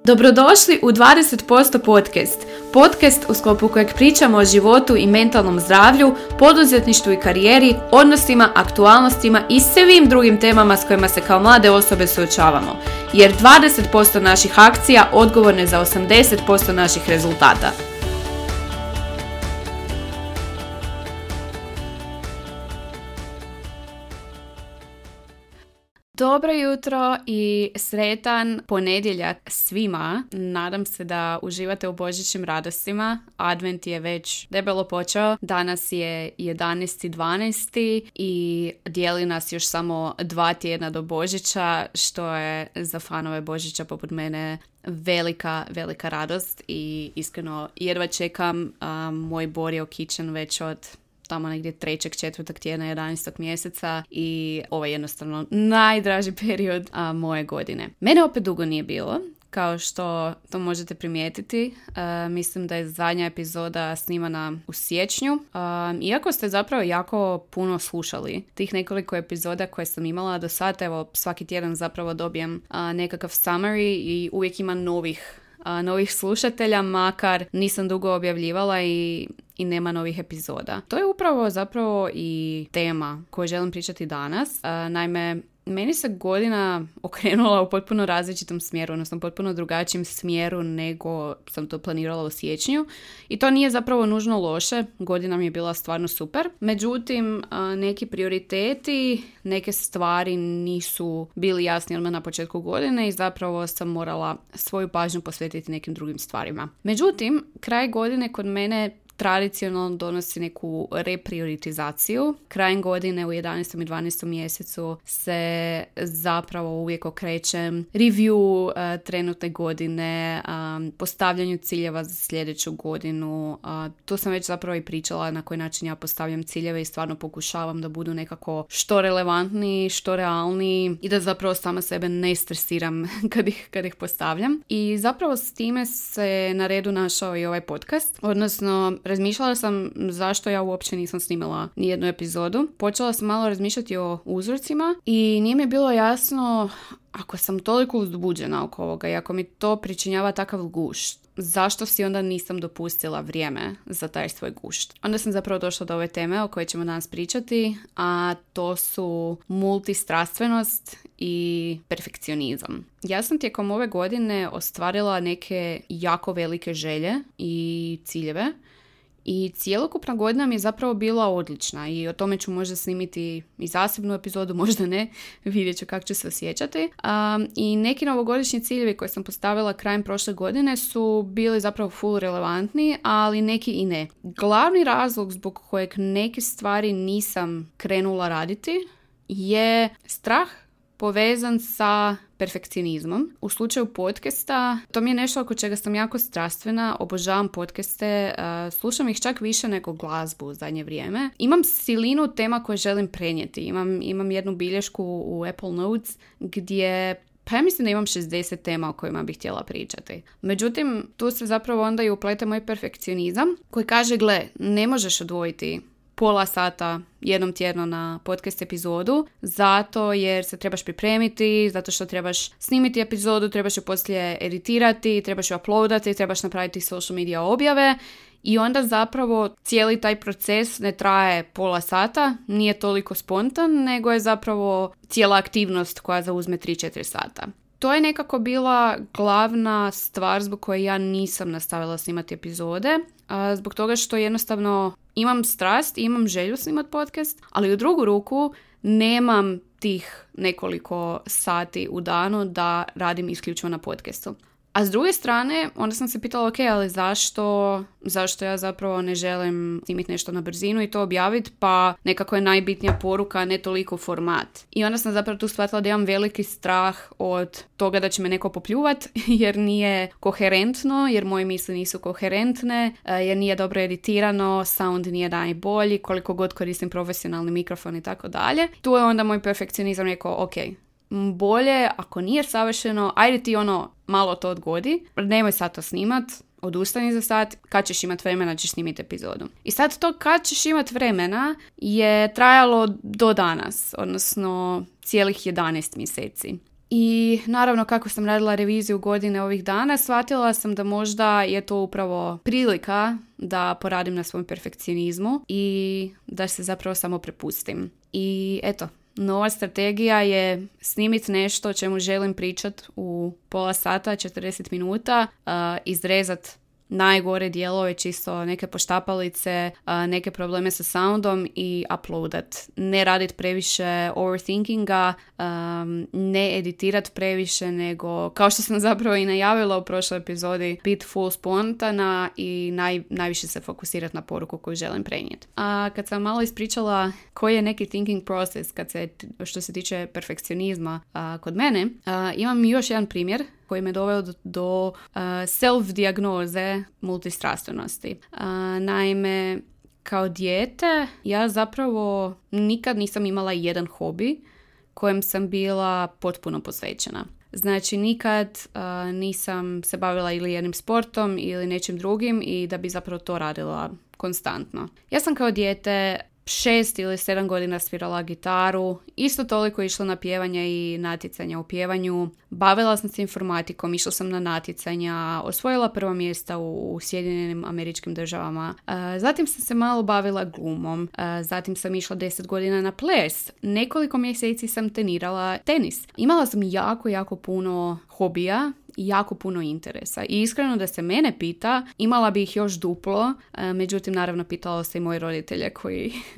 Dobrodošli u 20% podcast. Podcast u sklopu kojeg pričamo o životu i mentalnom zdravlju, poduzetništvu i karijeri, odnosima, aktualnostima i svim drugim temama s kojima se kao mlade osobe suočavamo. Jer 20% naših akcija odgovorno je za 80% naših rezultata. Dobro jutro i sretan ponedjeljak svima. Nadam se da uživate u božićnim radostima. Advent je već debelo počeo. Danas je 11.12. i dijeli nas još samo 2 tjedna do Božića, što je za fanove Božića poput mene velika radost i iskreno jedva čekam moj Borio Kitchen već od tamo negdje 3. 4. tjedna 11. mjeseca i ovo je jednostavno najdraži period moje godine. Mene opet dugo nije bilo, kao što to možete primijetiti. Mislim da je zadnja epizoda snimana u siječnju. Iako ste zapravo jako puno slušali tih nekoliko epizoda koje sam imala do sad, evo svaki tjedan zapravo dobijem nekakav summary i uvijek ima novih slušatelja, makar nisam dugo objavljivala i nema novih epizoda. To je upravo zapravo i tema koju želim pričati danas. Naime, meni se godina okrenula u potpuno različitom smjeru, odnosno potpuno drugačijem smjeru nego sam to planirala u siječnju. I to nije zapravo nužno loše, godina mi je bila stvarno super. Međutim, neki prioriteti, neke stvari nisu bili jasni odmah na početku godine i zapravo sam morala svoju pažnju posvetiti nekim drugim stvarima. Međutim, kraj godine kod mene tradicionalno donosi neku reprioritizaciju. Krajem godine u 11. i 12. mjesecu se zapravo uvijek okrećem review trenutne godine, postavljanju ciljeva za sljedeću godinu. Tu sam već zapravo i pričala na koji način ja postavljam ciljeve i stvarno pokušavam da budu nekako što relevantniji, što realniji i da zapravo sama sebe ne stresiram kad ih postavljam. I zapravo s time se na redu našao i ovaj podcast, odnosno razmišljala sam zašto ja uopće nisam snimala nijednu epizodu. Počela sam malo razmišljati o uzrocima i nije mi bilo jasno, ako sam toliko uzbuđena oko ovoga i ako mi to pričinjava takav gušt, zašto si onda nisam dopustila vrijeme za taj svoj gušt. Onda sam zapravo došla do ove teme o kojoj ćemo danas pričati, a to su multistrastvenost i perfekcionizam. Ja sam tijekom ove godine ostvarila neke jako velike želje i ciljeve i cjelokupna godina mi je zapravo bila odlična i o tome ću možda snimiti i zasebnu epizodu, možda ne, vidjet ću kako ću se osjećati. I neki novogodišnji ciljevi koje sam postavila krajem prošle godine su bili zapravo full relevantni, ali neki i ne. Glavni razlog zbog kojeg neke stvari nisam krenula raditi je strah povezan sa perfekcionizmom. U slučaju podcasta, to mi je nešto oko čega sam jako strastvena, obožavam podcaste, slušam ih čak više nego glazbu u zadnje vrijeme. Imam silinu tema koje želim prenijeti. Imam jednu bilješku u Apple Notes gdje pa ja mislim da imam 60 tema o kojima bih htjela pričati. Međutim, tu se zapravo onda i uplete moj perfekcionizam koji kaže, gle, ne možeš odvojiti pola sata jednom tjedno na podcast epizodu, zato jer se trebaš pripremiti, zato što trebaš snimiti epizodu, trebaš ju poslije editirati, trebaš ju uploadati, trebaš napraviti social media objave i onda zapravo cijeli taj proces ne traje pola sata, nije toliko spontan, nego je zapravo cijela aktivnost koja zauzme 3-4 sata. To je nekako bila glavna stvar zbog koje ja nisam nastavila snimati epizode, zbog toga što jednostavno imam strast, imam želju snimati podcast, ali u drugu ruku nemam tih nekoliko sati u danu da radim isključivo na podcastu. A s druge strane, onda sam se pitala, ok, ali zašto ja zapravo ne želim snimiti nešto na brzinu i to objaviti, pa nekako je najbitnija poruka, ne toliko format. I onda sam zapravo tu shvatila da imam veliki strah od toga da će me neko popljuvati, jer nije koherentno, jer moje misli nisu koherentne, jer nije dobro editirano, sound nije najbolji, koliko god koristim profesionalni mikrofon i tako dalje. Tu je onda moj perfekcionizam rekao, ok, bolje, ako nije savršeno, ajde ti malo to odgodi, nemoj sad to snimat, odustani za sat, kad ćeš imat vremena ćeš snimiti epizodu. I sad to kad ćeš imat vremena je trajalo do danas, odnosno cijelih 11 mjeseci. I naravno kako sam radila reviziju godine ovih dana, shvatila sam da možda je to upravo prilika da poradim na svom perfekcionizmu i da se zapravo samo prepustim. I eto, nova strategija je snimiti nešto o čemu želim pričati u pola sata, 40 minuta, izrezati najgore dijelove, čisto neke poštapalice, neke probleme sa soundom i uploadat. Ne radit previše overthinkinga, ne editirat previše, nego kao što sam zapravo i najavila u prošloj epizodi, bit full spontana i najviše se fokusirat na poruku koju želim prenijeti. A kad sam malo ispričala koji je neki thinking process što se tiče perfekcionizma kod mene, imam još jedan primjer koji me doveo do self-dijagnoze multistrastvenosti. Naime, kao dijete ja zapravo nikad nisam imala jedan hobi kojem sam bila potpuno posvećena. Znači, nikad nisam se bavila ili jednim sportom ili nečim drugim i da bi zapravo to radila konstantno. Ja sam kao dijete 6 ili 7 godina svirala gitaru, isto toliko išla na pjevanje i natjecanja u pjevanju. Bavila sam se informatikom, išla sam na natjecanja, osvojila prva mjesta u Sjedinjenim Američkim Državama. Zatim sam se malo bavila glumom, zatim sam išla 10 godina na ples. Nekoliko mjeseci sam trenirala tenis. Imala sam jako puno hobija i jako puno interesa. I iskreno da se mene pita, imala bi ih još duplo, međutim naravno pitala se i moji roditelje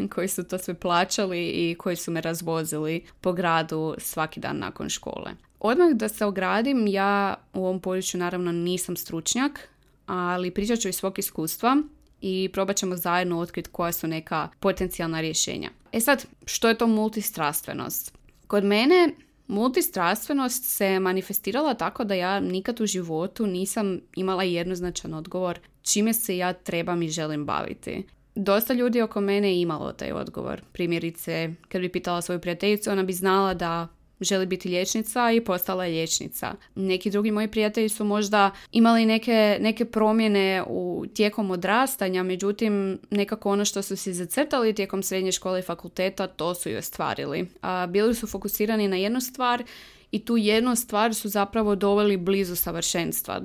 koji su to sve plaćali i koji su me razvozili po gradu svaki dan nakon škole. Odmah da se ogradim, ja u ovom području naravno nisam stručnjak, ali pričat ću iz svog iskustva i probat ćemo zajedno otkriti koja su neka potencijalna rješenja. Sad, što je to multistrastvenost? Kod mene multistrastvenost se manifestirala tako da ja nikad u životu nisam imala jednoznačan odgovor čime se ja trebam i želim baviti. Dosta ljudi oko mene je imalo taj odgovor. Primjerice, kad bi pitala svoju prijateljicu, ona bi znala da želi biti liječnica i postala je liječnica. Neki drugi moji prijatelji su možda imali neke promjene tijekom odrastanja, međutim nekako ono što su si zacrtali tijekom srednje škole i fakulteta, to su i ostvarili. Bili su fokusirani na jednu stvar i tu jednu stvar su zapravo doveli blizu savršenstva,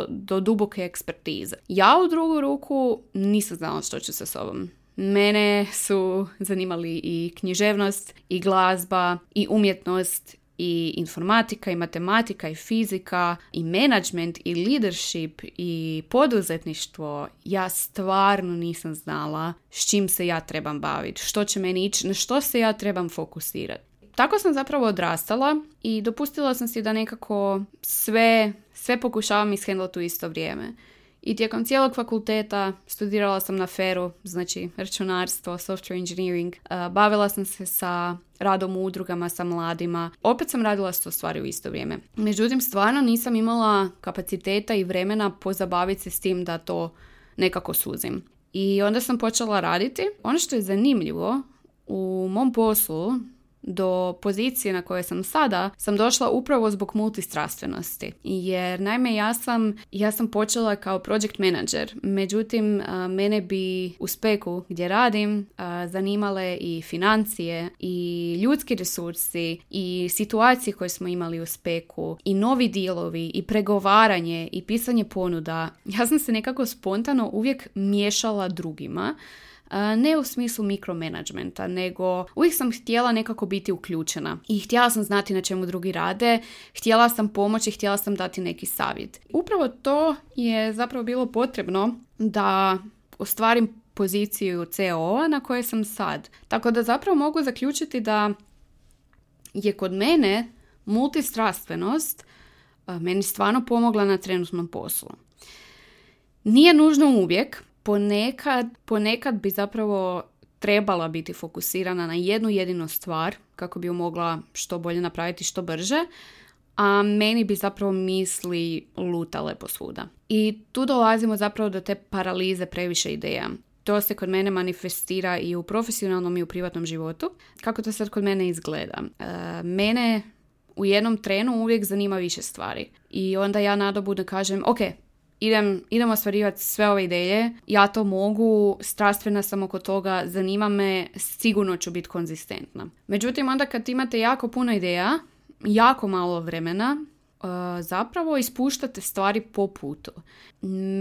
do duboke ekspertize. Ja u drugu ruku nisam znala što ću sa sobom. Mene su zanimali i književnost, i glazba, i umjetnost, i informatika, i matematika, i fizika, i management, i leadership, i poduzetništvo. Ja stvarno nisam znala s čim se ja trebam baviti, što će meni ići, na što se ja trebam fokusirati. Tako sam zapravo odrastala i dopustila sam si da nekako sve pokušavam ishendlati u isto vrijeme. I tijekom cijelog fakulteta studirala sam na FER-u, znači računarstvo, software engineering. Bavila sam se sa radom u udrugama sa mladima. Opet sam radila 100 stvari u isto vrijeme. Međutim, stvarno nisam imala kapaciteta i vremena pozabaviti se s tim da to nekako suzim. I onda sam počela raditi. Ono što je zanimljivo, u mom poslu do pozicije na kojoj sam sada sam došla upravo zbog multistrastvenosti. Jer naime ja sam počela kao project manager, međutim mene bi u speku gdje radim zanimale i financije i ljudski resursi i situacije koje smo imali u speku i novi dealovi i pregovaranje i pisanje ponuda. Ja sam se nekako spontano uvijek miješala drugima. Ne u smislu mikromanagementa, nego uvijek sam htjela nekako biti uključena i htjela sam znati na čemu drugi rade, htjela sam pomoći, htjela sam dati neki savjet. Upravo to je zapravo bilo potrebno da ostvarim poziciju CEO-a na kojoj sam sad. Tako da zapravo mogu zaključiti da je kod mene multistrastvenost meni stvarno pomogla na trenutnom poslu. Nije nužno uvijek. Ponekad bi zapravo trebala biti fokusirana na jednu jedinu stvar kako bi ju mogla što bolje napraviti, što brže, a meni bi zapravo misli lutale posvuda. I tu dolazimo zapravo do te paralize previše ideja. To se kod mene manifestira i u profesionalnom i u privatnom životu. Kako to sad kod mene izgleda? Mene u jednom trenu uvijek zanima više stvari. I onda ja nadobudno kažem, ok, idem ostvarivati sve ove ideje, ja to mogu, strastvena sam oko toga, zanima me, sigurno ću biti konzistentna. Međutim, onda kad imate jako puno ideja, jako malo vremena zapravo ispuštate stvari po putu.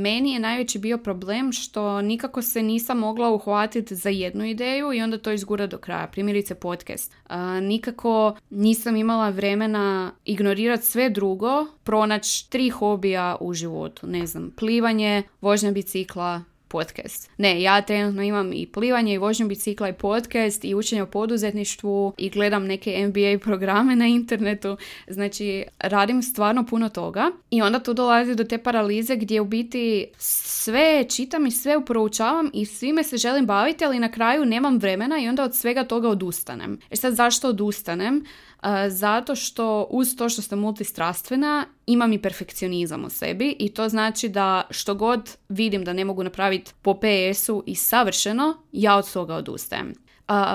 Meni je najveći bio problem što nikako se nisam mogla uhvatiti za jednu ideju i onda to izgura do kraja. Primjerice podcast. Nikako nisam imala vremena ignorirati sve drugo, pronaći 3 hobija u životu. Ne znam, plivanje, vožnja bicikla, podcast. Ne, ja trenutno imam i plivanje i vožnju bicikla i podcast i učenje o poduzetništvu i gledam neke MBA programe na internetu. Znači, radim stvarno puno toga i onda tu dolazi do te paralize gdje u biti sve čitam i sve proučavam i svime se želim baviti, ali na kraju nemam vremena i onda od svega toga odustanem. Sad zašto odustanem? Zato što uz to što sam multistrastvena imam i perfekcionizam u sebi i to znači da što god vidim da ne mogu napraviti po PS-u i savršeno, ja od toga odustajem.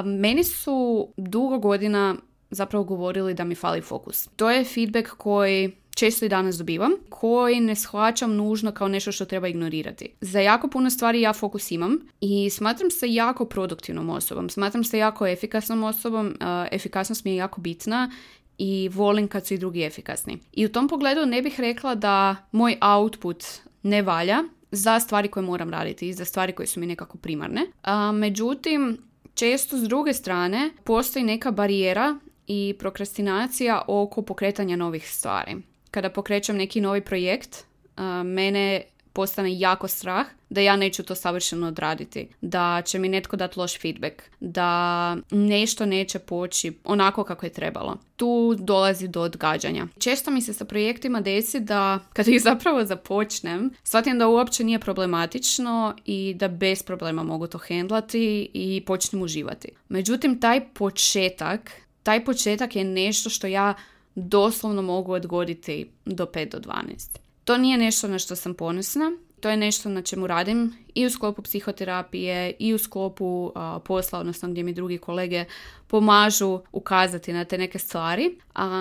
Meni su dugo godina zapravo govorili da mi fali fokus. To je feedback koji često i danas dobivam, koji ne shvaćam nužno kao nešto što treba ignorirati. Za jako puno stvari ja fokus imam i smatram se jako produktivnom osobom, smatram se jako efikasnom osobom, efikasnost mi je jako bitna i volim kad su i drugi efikasni. I u tom pogledu ne bih rekla da moj output ne valja za stvari koje moram raditi i za stvari koje su mi nekako primarne. Međutim, često s druge strane postoji neka barijera i prokrastinacija oko pokretanja novih stvari. Kada pokrećem neki novi projekt, mene postane jako strah da ja neću to savršeno odraditi, da će mi netko dati loš feedback, da nešto neće poći onako kako je trebalo. Tu dolazi do odgađanja. Često mi se sa projektima desi da kada ih zapravo započnem, shvatim da uopće nije problematično i da bez problema mogu to hendlati i počnem uživati. Međutim, taj početak je nešto što ja doslovno mogu odgoditi do 5 do 12. To nije nešto na što sam ponosna, to je nešto na čemu radim i u sklopu psihoterapije i u sklopu posla, odnosno gdje mi drugi kolege pomažu ukazati na te neke stvari.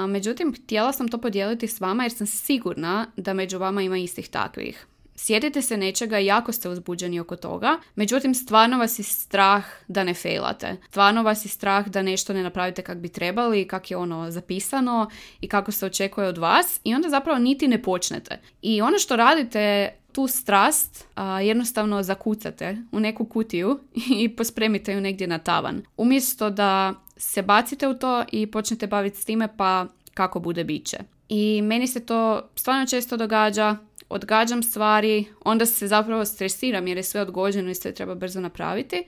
Međutim, htjela sam to podijeliti s vama jer sam sigurna da među vama ima istih takvih. Sjetite se nečega i jako ste uzbuđeni oko toga, međutim stvarno vas je strah da ne failate. Stvarno vas je strah da nešto ne napravite kako bi trebali, kako je ono zapisano i kako se očekuje od vas i onda zapravo niti ne počnete. I ono što radite, tu strast jednostavno zakucate u neku kutiju i pospremite ju negdje na tavan. Umjesto da se bacite u to i počnete baviti s time pa kako bude bit će. I meni se to stvarno često događa. Odgađam stvari, onda se zapravo stresiram jer je sve odgođeno i sve treba brzo napraviti.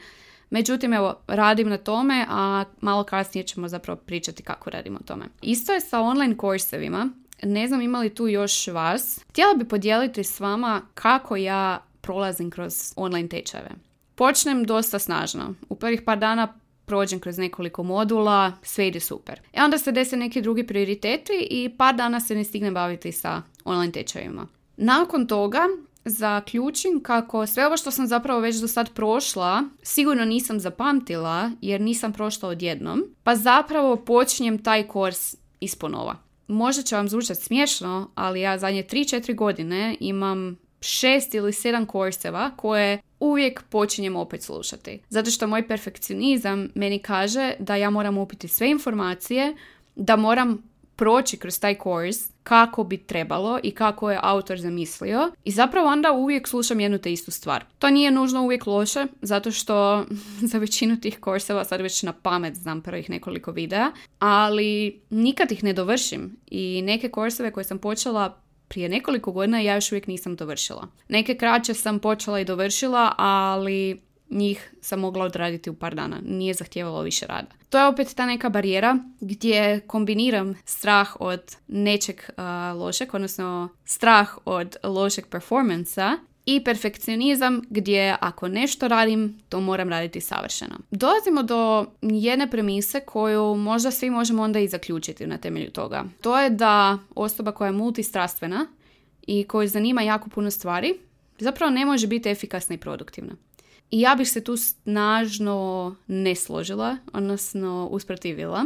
Međutim, evo, radim na tome, a malo kasnije ćemo zapravo pričati kako radimo o tome. Isto je sa online kursevima. Ne znam ima li tu još vas. Htjela bi podijeliti s vama kako ja prolazim kroz online tečajeve. Počnem dosta snažno. U prvih par dana prođem kroz nekoliko modula, sve ide super. Onda se dese neki drugi prioriteti i par dana se ne stignem baviti sa online tečajevima. Nakon toga zaključim kako sve ovo što sam zapravo već do sad prošla sigurno nisam zapamtila jer nisam prošla odjednom, pa zapravo počinjem taj kurs isponova. Možda će vam zvučati smiješno, ali ja zadnje 3-4 godine imam 6 ili 7 kurseva koje uvijek počinjem opet slušati. Zato što moj perfekcionizam meni kaže da ja moram upiti sve informacije, da moram proći kroz taj kurs kako bi trebalo i kako je autor zamislio i zapravo onda uvijek slušam jednu te istu stvar. To nije nužno uvijek loše, zato što za većinu tih kurseva sad već na pamet znam prvih nekoliko videa, ali nikad ih ne dovršim i neke kurseve koje sam počela prije nekoliko godina ja još uvijek nisam dovršila. Neke kraće sam počela i dovršila, ali njih sam mogla odraditi u par dana. Nije zahtijevalo više rada. To je opet ta neka barijera gdje kombiniram strah od nečeg lošeg, odnosno strah od lošeg performansa i perfekcionizam gdje ako nešto radim, to moram raditi savršeno. Dolazimo do jedne premise koju možda svi možemo onda i zaključiti na temelju toga. To je da osoba koja je multistrastvena i koju zanima jako puno stvari, zapravo ne može biti efikasna i produktivna. I ja bih se tu snažno ne složila, odnosno usprotivila,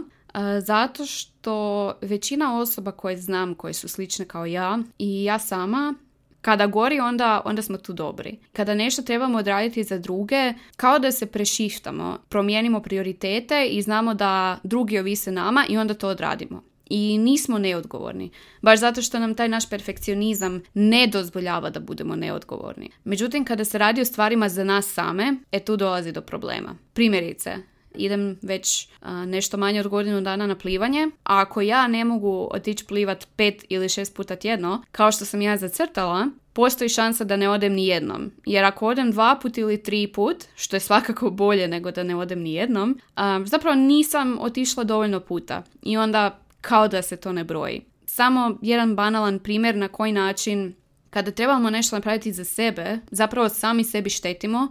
zato što većina osoba koje znam, koje su slične kao ja i ja sama, kada gori onda smo tu dobri. Kada nešto trebamo odraditi za druge, kao da se prešiftamo, promijenimo prioritete i znamo da drugi ovise nama i onda to odradimo. i nismo neodgovorni. Baš zato što nam taj naš perfekcionizam ne dozvoljava da budemo neodgovorni. Međutim, kada se radi o stvarima za nas same, tu dolazi do problema. Primjerice, idem već nešto manje od godinu dana na plivanje, a ako ja ne mogu otići plivat 5 ili 6 puta tjedno, kao što sam ja zacrtala, postoji šansa da ne odem ni jednom. Jer ako odem 2 put ili 3 put, što je svakako bolje nego da ne odem ni jednom, zapravo nisam otišla dovoljno puta. I onda kao da se to ne broji. Samo jedan banalan primjer na koji način kada trebamo nešto napraviti za sebe, zapravo sami sebi štetimo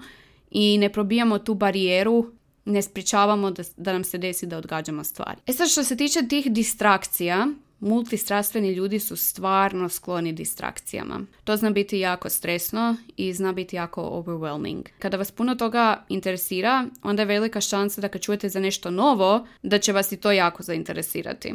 i ne probijamo tu barijeru, ne sprječavamo da nam se desi da odgađamo stvari. Sad što se tiče tih distrakcija, multistrastveni ljudi su stvarno skloni distrakcijama. To zna biti jako stresno i zna biti jako overwhelming. Kada vas puno toga interesira, onda je velika šansa da kad čujete za nešto novo, da će vas i to jako zainteresirati.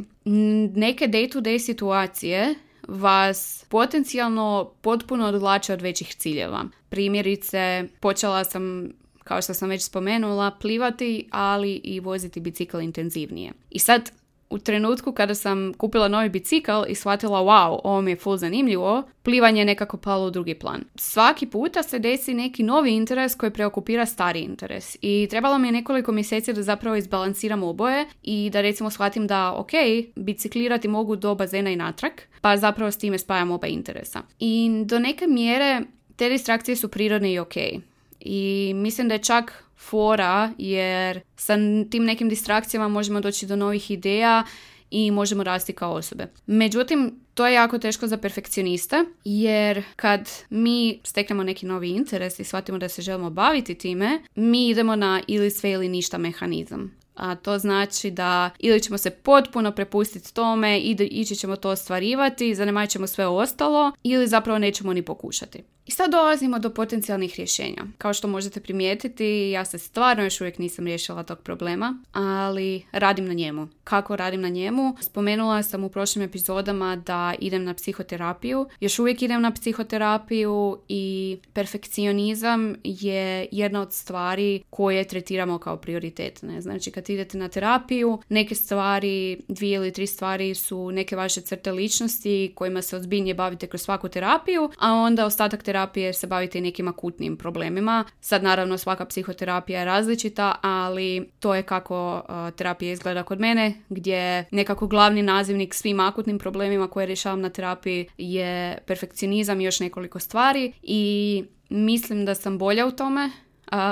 Neke day-to-day situacije vas potencijalno potpuno odvlače od većih ciljeva. Primjerice, počela sam, kao što sam već spomenula, plivati, ali i voziti bicikl intenzivnije. I sad, u trenutku kada sam kupila novi bicikl i shvatila wow, ovo mi je full zanimljivo, plivanje je nekako palo u drugi plan. Svaki puta se desi neki novi interes koji preokupira stari interes. I trebalo mi je nekoliko mjeseci da zapravo izbalansiram oboje i da recimo shvatim da ok, biciklirati mogu do bazena i natrag, pa zapravo s time spajam oba interesa. I do neke mjere te distrakcije su prirodne i ok. I mislim da je čak fora, jer sa tim nekim distrakcijama možemo doći do novih ideja i možemo rasti kao osobe. Međutim, to je jako teško za perfekcioniste, jer kad mi steknemo neki novi interes i shvatimo da se želimo baviti time, mi idemo na ili sve ili ništa mehanizam. A to znači da ili ćemo se potpuno prepustiti tome i ići ćemo to ostvarivati, zanemarit ćemo sve ostalo, ili zapravo nećemo ni pokušati. I sad dolazimo do potencijalnih rješenja. Kao što možete primijetiti, ja se stvarno još uvijek nisam riješila tog problema, ali radim na njemu. Kako radim na njemu? Spomenula sam u prošlim epizodama da idem na psihoterapiju. Još uvijek idem na psihoterapiju i perfekcionizam je jedna od stvari koje tretiramo kao prioritetne. Znači, kad idete na terapiju, neke stvari, 2 ili 3 stvari su neke vaše crte ličnosti kojima se ozbiljnije bavite kroz svaku terapiju, a onda ostatak terapije se bavite nekim akutnim problemima. Sad naravno svaka psihoterapija je različita, ali to je kako terapija izgleda kod mene, gdje nekako glavni nazivnik svim akutnim problemima koje rješavam na terapiji je perfekcionizam i još nekoliko stvari i mislim da sam bolja u tome.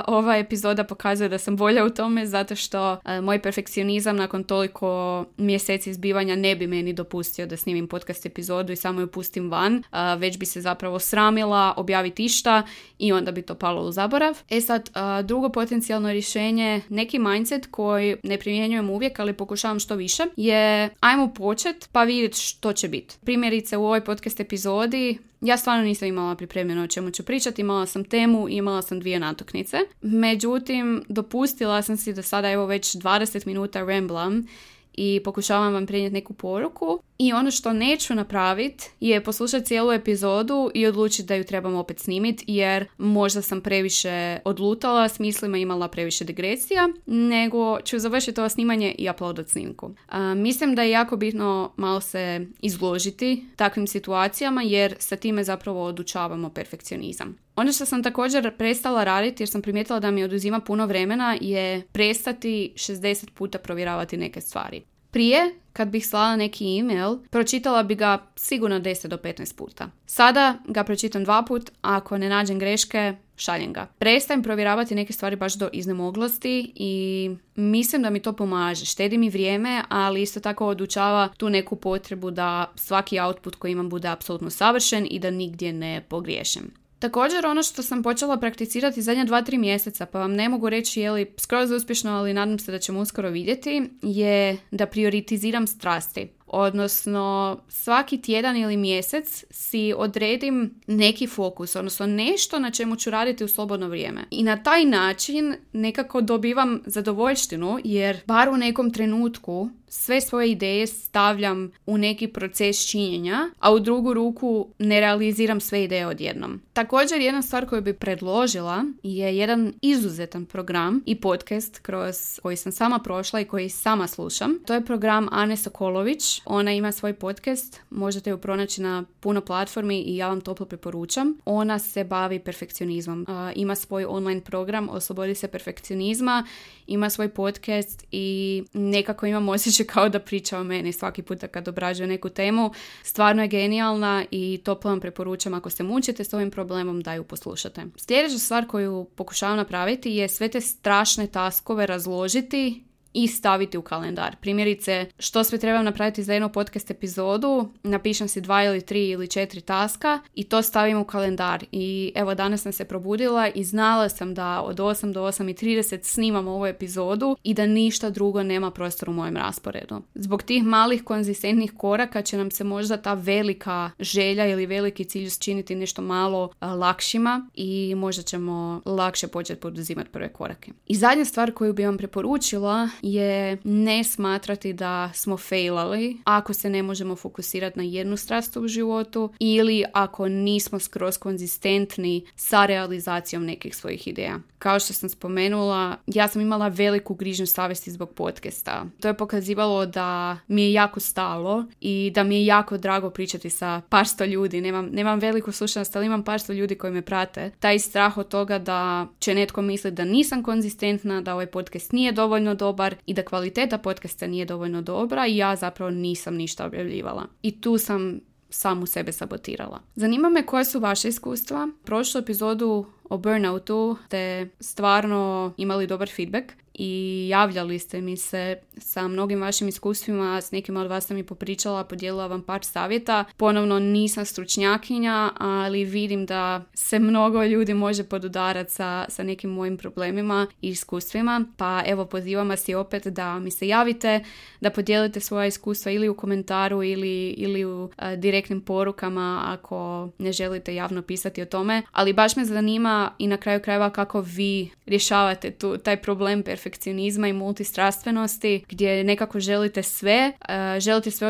Ova epizoda pokazuje da sam bolja u tome zato što moj perfekcionizam nakon toliko mjeseci zbivanja ne bi meni dopustio da snimim podcast epizodu i samo ju pustim van, već bi se zapravo sramila objaviti išta i onda bi to palo u zaborav. Sad, drugo potencijalno rješenje, neki mindset koji ne primjenjujem uvijek, ali pokušavam što više, je ajmo počet pa vidjeti što će biti. Primjerice u ovoj podcast epizodi ja stvarno nisam imala pripremljeno o čemu ću pričati, imala sam temu i imala sam 2 natuknice. Međutim, dopustila sam si da sada evo već 20 minuta ramblam i pokušavam vam prenijeti neku poruku. I ono što neću napraviti je poslušati cijelu epizodu i odlučiti da ju trebam opet snimiti, jer možda sam previše odlutala s mislima, imala previše digresija, nego ću završiti ovo snimanje i uploadat snimku. Mislim da je jako bitno malo se izložiti takvim situacijama, jer sa time zapravo odučavamo perfekcionizam. Ono što sam također prestala raditi, jer sam primijetila da mi oduzima puno vremena, je prestati 60 puta provjeravati neke stvari. Prije, kad bih slala neki email, pročitala bi ga sigurno 10 do 15 puta. Sada ga pročitam 2 puta, a ako ne nađem greške, šaljem ga. Prestajem provjeravati neke stvari baš do iznemoglosti i mislim da mi to pomaže. Štedi mi vrijeme, ali isto tako odučava tu neku potrebu da svaki output koji imam bude apsolutno savršen i da nigdje ne pogriješim. Također, ono što sam počela prakticirati zadnja 2-3 mjeseca, pa vam ne mogu reći je li skroz uspješno, ali nadam se da ćemo uskoro vidjeti, je da prioritiziram strasti. Odnosno, svaki tjedan ili mjesec si odredim neki fokus, odnosno nešto na čemu ću raditi u slobodno vrijeme. I na taj način nekako dobivam zadovoljštinu, jer bar u nekom trenutku sve svoje ideje stavljam u neki proces činjenja, a u drugu ruku ne realiziram sve ideje odjednom. Također, jedna stvar koju bi predložila je jedan izuzetan program i podcast kroz koji sam sama prošla i koji sama slušam. To je program Ane Sokolović. Ona ima svoj podcast, možete ju pronaći na puno platformi i ja vam toplo preporučam. Ona se bavi perfekcionizmom. Ima svoj online program Oslobodi se perfekcionizma, ima svoj podcast i nekako imam osjećaj kao da priča o meni svaki puta kad obrađuje neku temu. Stvarno je genijalna i toplo vam preporučam ako se mučite s ovim problemom da ju poslušate. Sljedeća stvar koju pokušavam napraviti je sve te strašne taskove razložiti i staviti u kalendar. Primjerice, što sve trebam napraviti za jednu podcast epizodu, napišem si 2 ili 3 ili 4 taska i to stavim u kalendar. I evo, danas sam se probudila i znala sam da od 8 do 8:30 snimam ovu epizodu i da ništa drugo nema prostor u mojem rasporedu. Zbog tih malih konzistentnih koraka će nam se možda ta velika želja ili veliki cilj učiniti nešto malo lakšima i možda ćemo lakše početi poduzimati prve korake. I zadnja stvar koju bi vam preporučila je ne smatrati da smo failali ako se ne možemo fokusirati na jednu strast u životu ili ako nismo skroz konzistentni sa realizacijom nekih svojih ideja. Kao što sam spomenula, ja sam imala veliku grižnju savjesti zbog podcasta. To je pokazivalo da mi je jako stalo i da mi je jako drago pričati sa par sto ljudi. Nemam veliku slušanost, ali imam par sto ljudi koji me prate. Taj strah od toga da će netko misliti da nisam konzistentna, da ovaj podcast nije dovoljno dobar i da kvaliteta podcasta nije dovoljno dobra i ja zapravo nisam ništa objavljivala. I tu sam samu sebe sabotirala. Zanima me koje su vaše iskustva. Prošlu epizodu o burnoutu ste stvarno imali dobar feedback i javljali ste mi se sa mnogim vašim iskustvima, s nekima od vas sam i popričala, podijelila vam par savjeta. Ponovno nisam stručnjakinja, ali vidim da se mnogo ljudi može podudarati sa nekim mojim problemima i iskustvima, pa evo pozivam vas i opet da mi se javite, da podijelite svoja iskustva ili u komentaru ili u direktnim porukama ako ne želite javno pisati o tome, ali baš me zanima i na kraju krajeva kako vi rješavate taj problem perfekcionizma i multistrastvenosti gdje nekako želite sve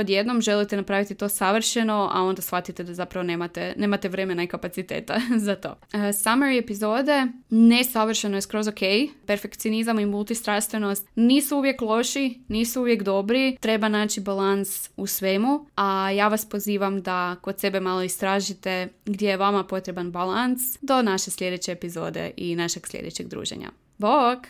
odjednom, želite napraviti to savršeno, a onda shvatite da zapravo nemate vremena i kapaciteta za to. Summary epizode, nesavršeno je skroz ok. Perfekcionizam i multistrastvenost nisu uvijek loši, nisu uvijek dobri, treba naći balans u svemu, a ja vas pozivam da kod sebe malo istražite gdje je vama potreban balans do naše sljedeće epizode i našeg sljedećeg druženja. Bok!